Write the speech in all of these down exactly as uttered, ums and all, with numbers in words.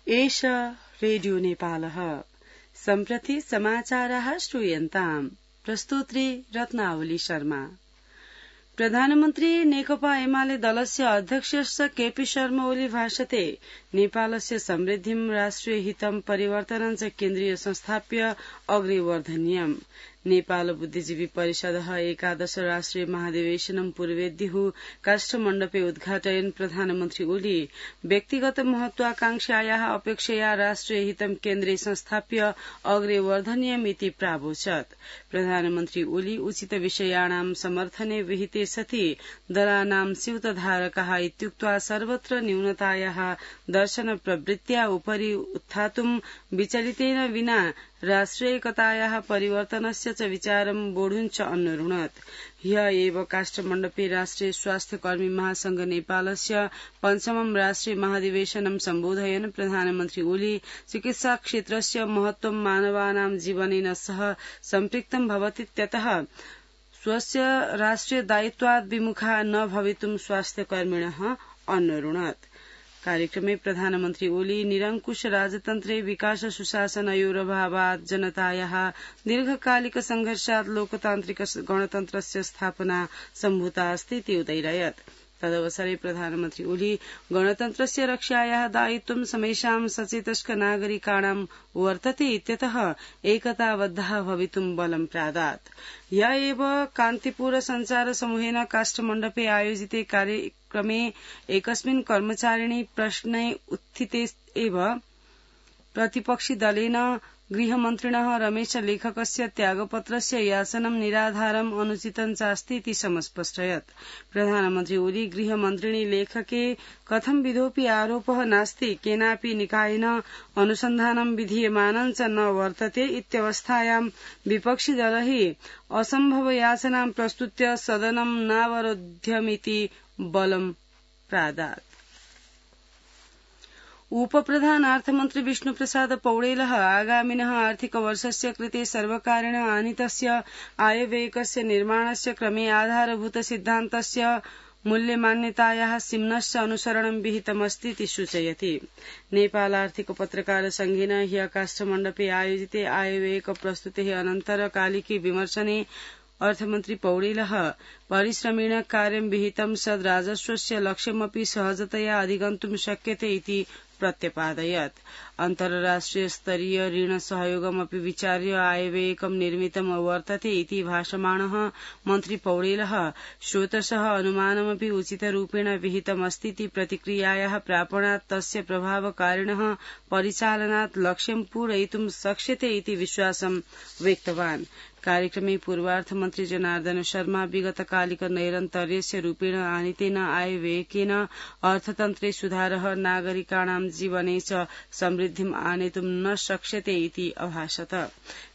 एष रेडियो नेपालः सम्प्रति समाचाराः श्रूयन्ताम् प्रस्तुत्री रत्नावली शर्मा। प्रधानमन्त्री नेकपा एमाले दलस्य अध्यक्षस्य केपी शर्मा ओली भाषते नेपालस्य समृद्धिं राष्ट्रिय हितं परिवर्तनं च केन्द्रीय संस्थाप्य अग्रे वर्धनीयम्। नेपाल बुद्धिजीवी परिषदः एकादश राष्ट्रिय महाधिवेशनं पूर्वेद्युः काष्ठमण्डपे उद्घाटयन् प्रधानमन्त्री ओली व्यक्तिगत महत्वाकांक्षायाः अपेक्षया राष्ट्रिय हितं केन्द्रे संस्थाप्य अग्रे वर्धनीयम् इति प्रावोचत्। प्रधानमन्त्री ओली उचित विषयाणां समर्थने विहिते सति दलानां स्यूतधारकाः इत्युक्त्वा सर्वत्र न्यूनतायाः दर्शन प्रवृत्त्या उपरि उत्थातुं विचलितेन विना राष्ट्रियैकतायाः परिवर्तनस्य च विचारं वोढुञ्च अन्वरुणत्। ह्य एव काष्ठमण्डपे राष्ट्रिय स्वास्थ्य कर्मी महासंघ नेपालस्य पञ्चमं राष्ट्रिय महाधिवेशनं सम्बोधयन् प्रधानमन्त्री ओली चिकित्सा क्षेत्रस्य महत्वं मानवानां जीवनेन सह सम्पृक्तं भवतीत्यतः स्वस्य राष्ट्रिय दायित्वात् विमुखा न भवितुं स्वास्थ्यकर्मिणः अन्वरुणत्। कार्यक्रमे प्रधानमन्त्री ओली निरंकुश राजतन्त्रे विकास सुशासनयोरभावात् जनतायाः दीर्घकालिक संघर्षात् लोकतान्त्रिक गणतन्त्रस्य स्थापना सम्भूता अस्ति इति उदैरयत्। तदवसरे प्रधानमन्त्री ओली गणतन्त्रस्य रक्षायाः दायित्वं समेषां सचेतस्क नागरिकाणां वर्तते इत्यतः एकताबद्धः भवितुं बलं प्रादात्। ह्य एव कान्तिपुर सञ्चार समूहेन काष्ठमण्डपे आयोजिते कार्यक्रमे एकस्मिन् कर्मचारिणी प्रश्ने उत्थिते एव प्रतिपक्षि दलेन गृहमन्त्रिणः रमेश लेखकस्य त्यागपत्रस्य याचनं निराधारम् अनुचितं चास्ति इति समस्पष्टयत्। प्रधानमन्त्री ओली गृहमन्त्रिणी लेखके कथं विधोऽपि आरोपः नास्ति, केनापि निकायेन अनुसन्धानं विधीयमानं च न वर्तते इत्यवस्थायां विपक्षि दलैः असम्भव याचनां प्रस्तुत्य सदनं नावरोध्यमिति बलं प्रादात्। उपप्रधान अर्थमन्त्री विष्णुप्रसाद पौडेलः आगामिनः आर्थिकवर्षस्य कृते सर्वकारेण आनीतस्य आयव्ययकस्य निर्माणस्य क्रमे आधारभूत सिद्धान्तस्य मूल्यमान्यतायाः सिम्नश्च अनुसरणं विहितमस्ति इति सूचयति। नेपाल आर्थिक पत्रकार संघेन ह्य काष्ठमण्डपे आयोजिते आयव्ययक प्रस्तुतेः अनन्तरकालिके विमर्शने अर्थमन्त्री पौडेलः परिश्रमेण कार्यं विहितं सद् राजस्वस्य लक्ष्यमपि सहजतया अधिगन्तुं शक्यते इति प्रत्यपादयत्। अन्तर्राष्ट्रिय स्तरीय ऋण सहयोगमपि विचार्य आयव्ययकं निर्मितम् अवर्तते इति भाषमाणः मन्त्री पौडेलः स्रोतसः अनुमानमपि उचितरूपेण विहितमस्ति इति प्रतिक्रियायाः प्रापणात् तस्य प्रभावकारिणः परिचालनात् लक्ष्यं पूरयितुं शक्यते इति विश्वासं व्यक्तवान्। कार्यक्रमे पूर्वार्थमन्त्री जनार्दन शर्मा विगतकालिक नैरन्तर्यस्य रूपेण आनीतेन आयव्ययकेन अर्थतन्त्रे सुधारः नागरिकाणां जीवने च समृद्धिम् आनेतुं न शक्यते इति अभाषत।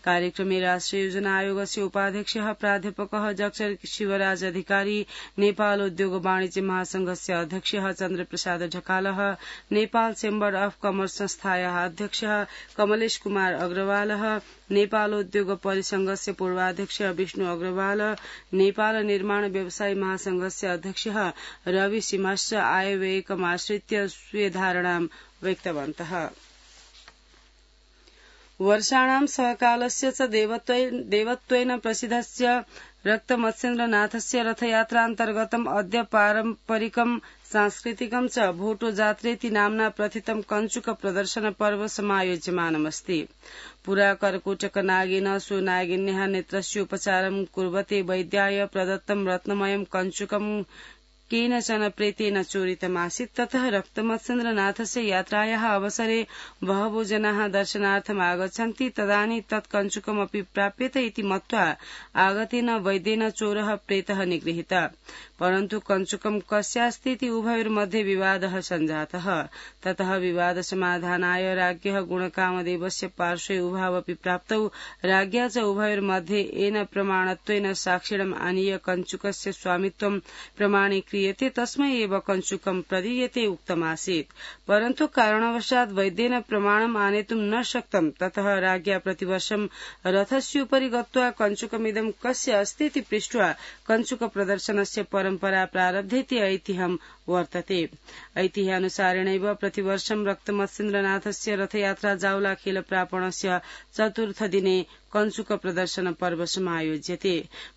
कार्यक्रमे राष्ट्रिय योजना आयोगस्य उपाध्यक्षः प्राध्यापकः डॉक्टर शिवराज अधिकारी, नेपाल उद्योग वाणिज्य महासंघस्य अध्यक्षः चन्द्रप्रसाद ढकालः, नेपाल चेम्बर अफ कमर्स संस्थायाः अध्यक्षः कमलेश कुमार अग्रवालः, नेपाल उद्योग परिसंघस्य पूर्वाध्यक्ष विष्णु अग्रवाल, नेपाल निर्माण व्यवसायी महासंघस्य अध्यक्षः रवि सिंहश्च आयव्ययकमाश्रित्य स्वीय धारणां व्यक्तवन्तः। वर्षाणां सहकालस्य च देवत्वेन प्रसिद्धस्य रक्तमत्स्येन्द्रनाथस्य रथयात्रान्तर्गतम् अद्य पारम्परिकं सांस्कृतिकं च भोटो जात्रेति नाम्ना प्रथितं कञ्चुक प्रदर्शन पर्व समायोज्यमानमस्ति। पुरा कर्कोटक नागेन सो नागिन्याः नेत्रस्य उपचारं कुर्वते वैद्याय प्रदत्तं रत्नमयं कञ्चुकं केनचन प्रेतेन चोरितमासीत्। ततः रक्तमत्स्येन्द्रनाथस्य यात्रायाः अवसरे बहवो जनाः दर्शनार्थम् आगच्छन्ति। तदानीं तत् कञ्चुकमपि प्राप्यते इति मत्वा आगतेन वैद्येन चोरः प्रेतः निगृहीतः। परन्तु कञ्चुकं कस्यास्ति इति उभयोर्मध्ये विवादः सञ्जातः। ततः विवाद समाधानाय राज्ञः गुणकामदेवस्य पार्श्वे उभावपि प्राप्तौ। राज्ञा च उभयोर्मध्ये येन प्रमाणत्वेन साक्षिणम् आनीय कञ्चुकस्य स्वामित्वं प्रमाणीक्रिय क्रियते तस्मै एव कञ्चुकं प्रदीयते उक्तमासीत्। परन्तु कारणवशात् वैद्येन प्रमाणम् आनेतुं न शक्तं। ततः राज्ञा प्रतिवर्षं रथस्योपरि गत्वा कञ्चुकमिदं कस्य अस्तीति पृष्ट्वा कञ्चुक प्रदर्शनस्य परम्परा प्रारब्धेति ऐतिह्यं वर्तते। ऐतिह्यानुसारेणैव प्रतिवर्षं रक्तमत्स्येन्द्रनाथस्य रथयात्रा जावलाखेल प्रापणस्य चतुर्थदिने कञ्चुक प्रदर्शन पर्व समायोज्यते।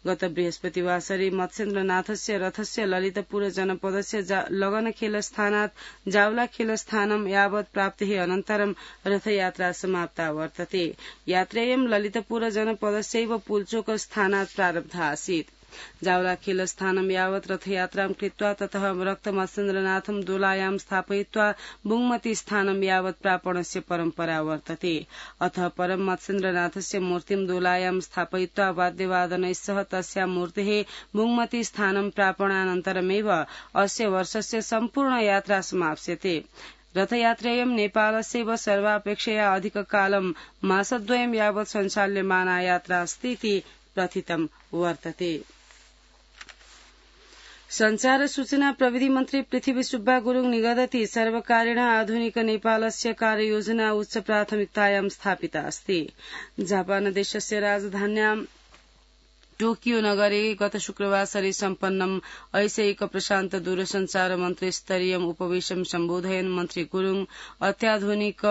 गत बृहस्पतिवासरे मत्स्येन्द्रनाथस्य रथस्य ललितपुर जनपदस्य लगनखेलस्थानात् जावलाखेलस्थानं यावत् प्राप्तेः अनन्तरं रथयात्रा समाप्ता वर्तते। यात्रेयं ललितपुर जनपदस्यैव पुल्चोकस्थानात् प्रारब्धा आसीत्। जावलाखेलस्थानं यावत् रथयात्रां कृत्वा ततः रक्तमत्स्येन्द्रनाथं दोलायां स्थापयित्वा बुङ्मती स्थानं यावत् प्रापणस्य परम्परा वर्तते। अतः परं मत्स्येन्द्रनाथस्य मूर्तिं दोलायां स्थापयित्वा वाद्यवादनैस्सह तस्यां मूर्तेः बुङ्मती स्थानं प्रापणानन्तरमेव अस्य वर्षस्य सम्पूर्ण यात्रा समाप्स्यते। रथयात्रेयं नेपालस्यैव सर्वापेक्षया अधिककालं मासद्वयं यावत् सञ्चाल्यमाना यात्रा अस्तीति प्रथितं वर्तते। संचार सूचना प्रविधि मन्त्री पृथ्वी सुब्बा गुरुङ निगदति सर्वकारेण आधुनिक नेपालस्य कार्ययोजना उच्च प्राथमिकतायां स्थापिता अस्ति। जापान देशस्य राजधान्यां टोकियो नगरे गत शुक्रवासरे सम्पन्नम् ऐशैक प्रशान्त दूरसञ्चार मन्त्रिस्तरीयम् उपवेशं सम्बोधयन् मन्त्री गुरुङ अत्याधुनिक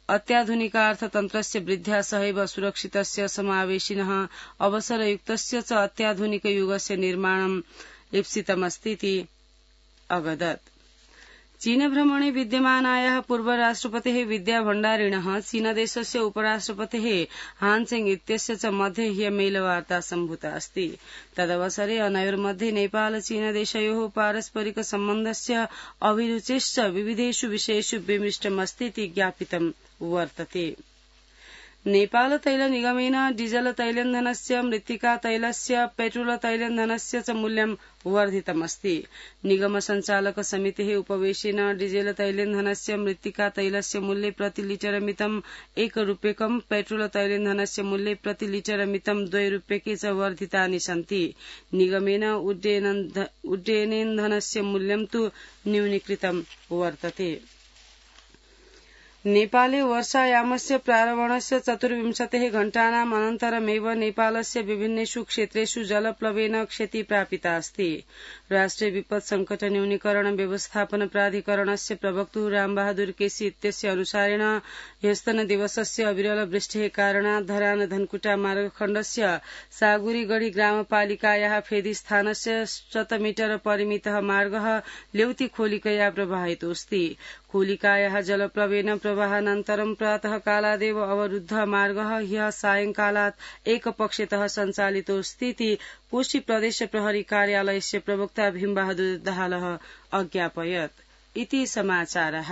अत्याधुनिकार्थतन्त्रस्य वृद्ध्या सहैव सुरक्षितस्य समावेशिनः अवसरयुक्तस्य च अत्याधुनिक युगस्य निर्माणम् ईप्सितमस्तीति अवदत्। चीन भ्रमणे विद्यमानायाः पूर्व राष्ट्रपतेः विद्या भण्डारिणः चीनदेशस्य उपराष्ट्रपतेः हानचेङ इत्यस्य च मध्ये ह्य मेलवार्ता सम्भूता अस्ति। तदवसरे अनयोर्मध्ये नेपाल चीनदेशयोः पारस्परिक सम्बन्धस्य अभिरुचेश्च विविधेषु विषयेषु विमिष्टमस्तीति ज्ञापितं वर्तते। नेपाल तैल निगमेन डीजल तैलेन्धनस्य मृत्तिका तैलस्य पेट्रोल तैलेन्धनस्य च मूल्यं वर्धितमस्ति। निगम संचालक समितेः उपवेशेन डीजल तैलेन्धनस्य मृत्तिका तैलस्य मूल्ये प्रति लिटर मितम् एक रूप्यकं पेट्रोल तैलेन्धनस्य मूल्ये प्रति लिटर मितम् द्वे रूप्यके च वर्धितानि सन्ति। निगमेन उड्डयनेन्धनस्य मूल्यं तु न्यूनीकृतं वर्तते। नेपाले वर्षायामस्य प्रारम्भस्य चतुर्विंशतिः घण्टानाम् अनन्तरमेव नेपालस्य विभिन्नेषु क्षेत्रेषु जलप्लवेन क्षति प्रापिता अस्ति। राष्ट्रिय विपत् संकट न्यूनीकरण व्यवस्थापन प्राधिकरणस्य प्रवक्तुः रामबहादुर केसी इत्यस्य अनुसारेण ह्यस्तन दिवसस्य अविरल वृष्टेः कारणात् धरान धनकुटा मार्गखण्डस्य सागुरीगढी ग्रामपालिकायाः फेदी स्थानस्य शतमीटर परिमितः मार्गः लेउती खोलिकया प्रवाहितोऽस्ति। खोलिकायाः जलप्लवेन प्रवाहानन्तरं प्रातः कालादेव अवरुद्धः मार्गः ह्यः सायंकालात् एकपक्षतः सञ्चालितोऽस्तीति कोशी प्रदेश प्रहरी कार्यालयस्य प्रवक्ता भीमबहादुर दाहालः अज्ञापयत्। इति समाचारः।